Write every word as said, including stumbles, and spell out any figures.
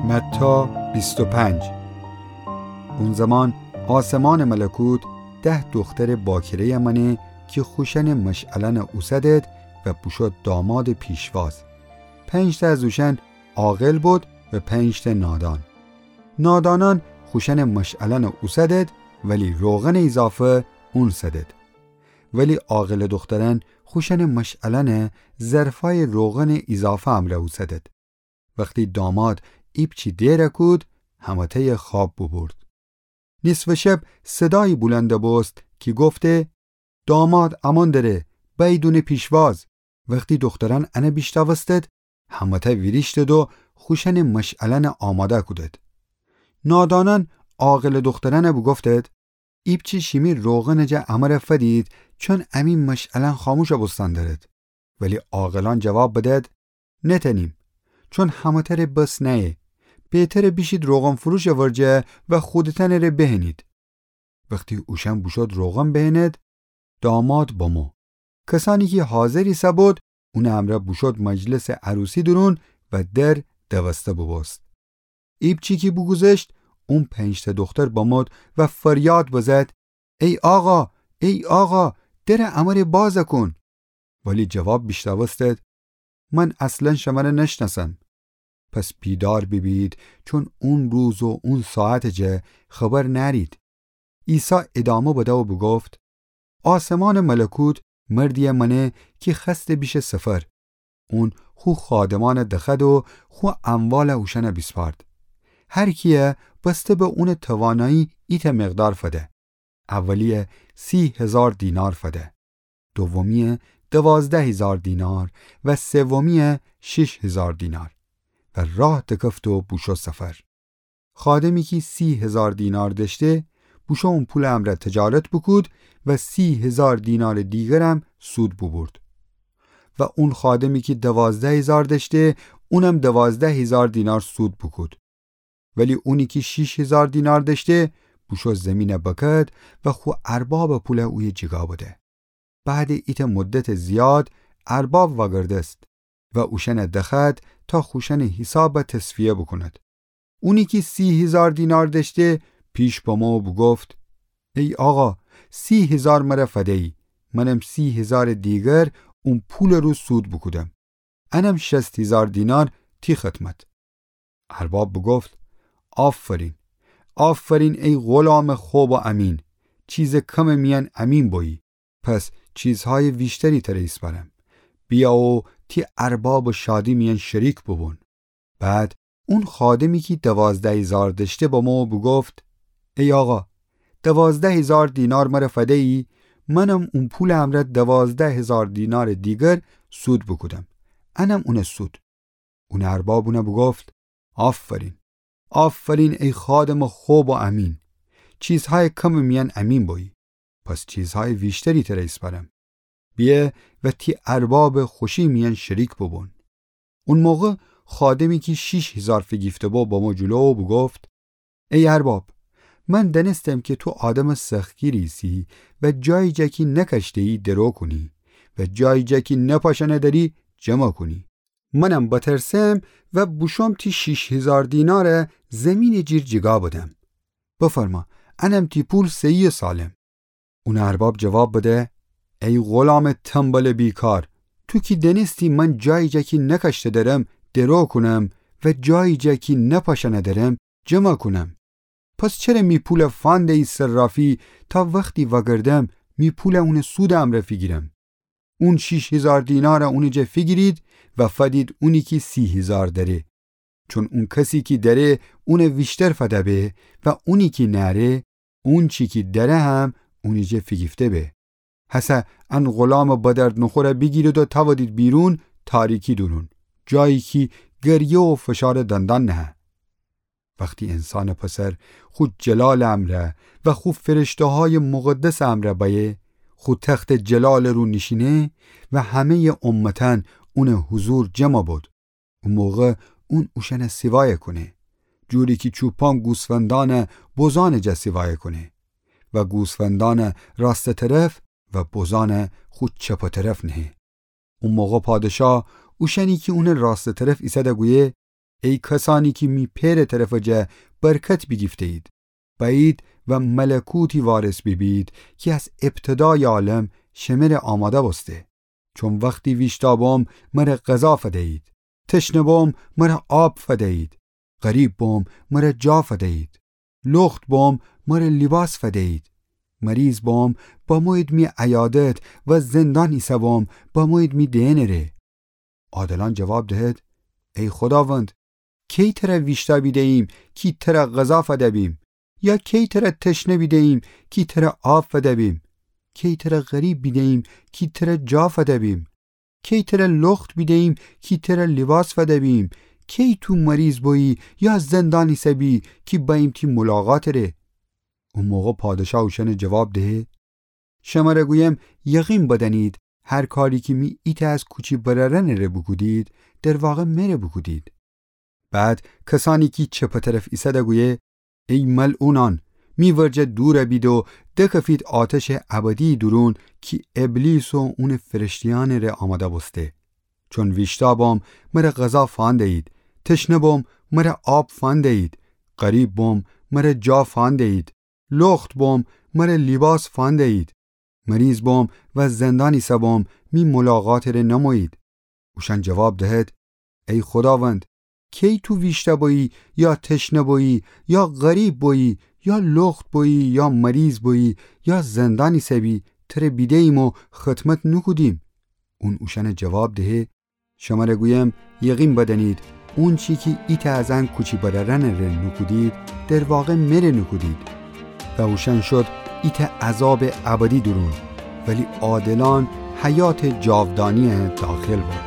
متی بیست و پنج. اون زمان آسمانٚ ملکوت ده دخترٚ باکره‌یَ مأنه کی خوشأنٚ مشعلأنَ اوسدد و بوشو دامادٚ پیشواز. پنج‌تأ از اوشأن عاقل بد و پنج‌تأ نادان. نادانأن خوشأنٚ مشعلأنَ اوسدد، ولی روغنٚ ایضافه اونسدد. ولی عاقلٚ دخترأن خوشأنٚ مشعلأنَ ظرفأیٚ روغنٚ ایضافه امرأ اوسدد. وختی داماد ایپچی دئر کود، همه‌تأیَ خوأب بوبورد. نیصفٚ شب صدایی بلند بوست کی گفته: داماد امأن دره، بأیید اونٚ پیشواز. وختی دخترأن انَ بیشنوستد، همه‌تأ ویریشتد و خوشأنٚ مشعلأنَ آماده کودد. نادانأن عاقلٚ دخترأنَ بوگفتد: ایپچی شیمی روغنٚ جا امره فدید، چون امی مشعلأن خاموش بوستن درد. ولی عاقلأن جواب بدد: نتأنیم، چون همه‌تره بس نأیه. بهتره بیشید روغن‌فروشٚ ورجه و خودتأنٚ ره بهنید. وختی اوشأن بوشود روغن بهند، داماد بمو. کسأنی کی حاضر ایسه‌بود، اونٚ امرأ بوشود مجلسٚ عروسی دورون و در دوسته بوبوست. ایپچی کی بوگوذشت، اون پنج‌تأ دختر بمود و فریاد بزد: ای آقا، ای آقا، درَ امره باز کون. ولی جواب بیشنوستد: من اصلاً شمره نشنأسم. پس بیدار بیبید، چون اون روز و اون ساعتٚ جا خبر نأرید. عیسی ادامه بده و بوگفت: آسمانٚ ملکوت مردی‌یَ مأنه کی خوأسته بیشه سفر. اون خو خادمأنَ دخوأد و خو اموالَ اوشأنَ بیسپارد. هر کی‌یَ بسته به اونٚ توانایی ایتأ مقدار فده. اولی‌یَ سی هیزار دینار فده، دومی‌یَ دوازده هیزار دینار و سومی‌یَ شیش هیزار دینار. و راه دکفت و بوشو سفر. خادمی کی سی هیزار دینار دأشته، بوشو اون پولٚ امرأ تجارت بوکود و سی هیزار دینارٚ دیگرم سود بوبورد. و اون خادمی کی دوازده هیزار دأشته، اونم دوازده هیزار دینار سود بوکود. ولی اونی کی شیش هیزار دینار دأشته، بوشو زیمینَ بکد و خو اربابٚ پولَ اویه جیگا بده. بعدٚ ایتأ مدتٚ زیاد ارباب وأگردست و اوشأنَ دخوأد تا خوشأنٚ حیساب تصفیه بوکوند. اونی کی سی هیزار دینار دأشته، پیش بمو و بوگفت: ای آقا، سی هیزار مره فده‌یی، منم سی هیزارٚ دیگر اون پولٚ رو سود بوکودم. انم شصت هیزار دینار تی خدمت. ارباب بوگفت: آفرین، آفرین ای غلامٚ خب و امین، چیزٚ کمٚ میأن امین بویی، پس چیزهایٚ ویشتری تره ایسپارم. بیا و تی اربابٚ شادی میأن شریک بوبون. بعد اون خادمی کی دوازده هیزار دأشته بمو و بوگفت: ای آقا، دوازده هیزار دینار مره فده‌یی، منم اون پولٚ امرأ دوازده هیزار دینارٚ دیگر سود بوکودم. انم اونٚ سود. اونٚ ارباب اونَ بوگفت: آفرین، آفرین ای خادمٚ خب و امین، چیزهایٚ کمٚ میأن امین بویی، پس چیزهایٚ ویشتری تره ایسپارم. بیه و تی اربابٚ خوشی میأن شریک بوبون. اون موقع خادمی کی شیش هیزار فیگیفته‌بو بمو جلو و بوگفت: ای ارباب، من دأنستم کی تو آدمٚ سختگیری ایسی و جایی جا کی نکاشته‌یی درو کونی و جایی جا کی نپاشأنه دأری جمع کونی. منم بترسم و بوشوم تی شیش هیزار دینارَ زیمینٚ جیر جیگا بدم. بفرما، انم تی پول صحیح و سالم. اونٚ ارباب جواب بده: ای غلامٚ تنبلٚ بیکار، تو کی دأنستی من جایی جا کی نکاشته درم درو کونم و جایی جا کی نپاشأنه درم جمع کونم، پس چره می پولَ فنده‌یی صرافی تا وختی وأگردم می پولَ اونٚ سودٚ امرأ فیگیرم؟ اون شیش هیزار دینارَ اونٚ جا فیگیرید و فدید اونی کی سی هیزار دأره. چون اون کسی کی دأره اونَ ویشتر فده به و اونی کی نأره، اونچی کی دأره هم اونٚ جا فیگیفته به. هسه ان غلامٚ بدردنخورَ بیگیرید و تأودید بیرون تاریکی دورون، جایی کی گریه و فشارٚ دندان نهه. وختی انسانٚ پسر خو جلالٚ امرأ و خو فرشته‌هایٚ مقدسٚ امرأ بأیه، خو تختٚ جلالٚ رو نیشینه و همه‌یٚ امتأن اونٚ حضور جمع بد، او موقع اون اوشأنَ سیوایَ کونه، جوری کی چوپان گوسفندأنَ بزانٚ جا سیوایَ کونه و گوسفندأنَ راستٚ طرف و بزانَ خو چپٚ طرف نهه. او موقع پادشاه اوشأنی کی اونٚ راستٚ طرف ایسده گویه: ای کسأنی کی می پئرٚ طرفٚ جا برکت بیگیفته‌اید، بأیید و ملکوتی وارث بیبید کی از ابتدایٚ عالم شمره آماده بوسته. چون وختی ویشتأ بوم، مره غذا فدیید. تشنه بوم، مره آب فدیید. غریب بوم، مره جا فدیید. لخت بوم، مره لیباس فدیید. مریض بوم، بمویید می عیادت، و زندان ایسه بوم، بمویید می دئنٚ ره. عادلأن جواب دهد: ای خوداوند، کی تره ویشتأ بیده‌ییم کی تره غذا فده‌بیم؟ یا کی تره تشنه بیده‌ییم کی تره آب فده‌بیم؟ کی تره غریب بیده‌ییم کی تره جا فده‌بیم؟ کی تره لخت بیده‌ییم کی تره لیباس فده‌بیم؟ کی تو مریض بویی یا زندان ایسه‌بی کی بأییم تی ملاقاتٚ ره؟ او موقع پادشاه اوشأنه جواب دهه: شمره گویم، یقین بدأنید، هر کاری کی می ایتأ از کوچی برأرأنٚ ره بوکودید، در واقع مره بوکودید. بعد کسأنی کی چپٚ طرف ایسده گویه: ای ملعونأن، می ورجه دور بید و دکفید آتشٚ ابدیی دورون کی ابلیس و اونٚ فرشته‌یأنٚ ره آماده بوسته. چون ویشتأ بوم، مره غذا فنده‌یید. تشنه بوم، مره آب فنده‌یید. غریب بوم، مره جا فنده‌یید. لخت بوم، مره لیباس فنده‌یید. مریض بوم و زندان ایسه بوم، می ملاقاتٚ ره نمویید. اوشأن جواب دهد: ای خوداوند، کی تو ویشتأ بویی یا تشنه بویی یا غریب بویی یا لخت بویی یا مریض بویی یا زندان ایسه‌بی، تره بیده‌ییم و خدمت نوکودیم؟ اون اوشأنه جواب دهه: شمره گویم، یقین بدأنید، اونچی کی ایتأ از ان کوچی برأرأنٚ ره نوکودید، در واقع مره نوکودید. و اوشأن شد ایتأ عذابٚ ابدی دورون، ولی عادلأن حیاتٚ جاودانی‌یه داخل بو.